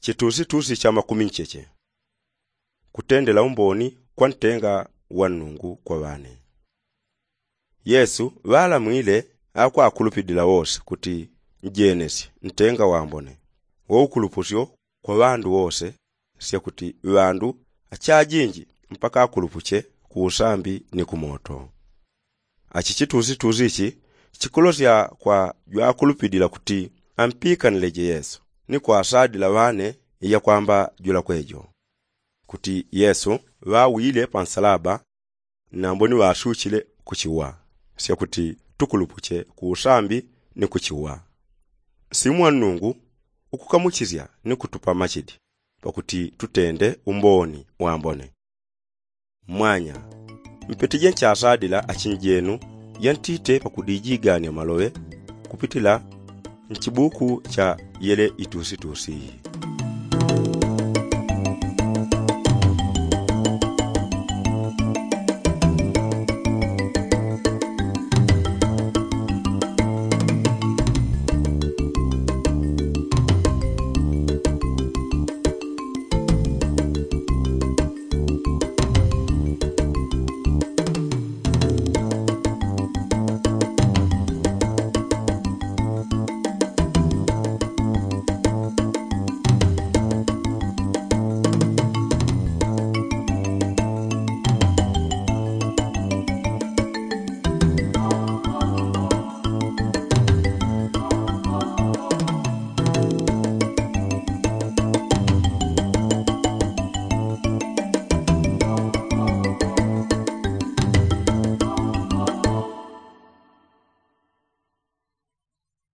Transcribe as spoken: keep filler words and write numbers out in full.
Chitusitusi cha makumi ncheche. Kutendela umboni kwa ntenga wa nnungu kwa ŵane. Yesu ŵalamwile akwakulupidila wose kuti njenesye ntenga wambone wo ukulupusyo kwa ŵandu wose, syakuti ŵandu achajinji mpaka akulupuche ku usambi ni ku moto. Achi chitusitusi ichi chikulosya kwa jwakulupidila kuti ampikanileje yesu ni kwasadila ŵane iyakwamba jula kwejo kuti yesu ŵawile pa nsalaba, nambo ni ŵasuchile kuchiwa syakuti tukulupuche ku usambi ni kuchiwa. Simwa nnungu ukukamuchisya ni kutupa machidi pakuti tutende umboni wambone. Mmwanya mpetije nchasadila achinjenu yantite pakudijigania maloŵe kupitila nchibuku cha yele itusitusi.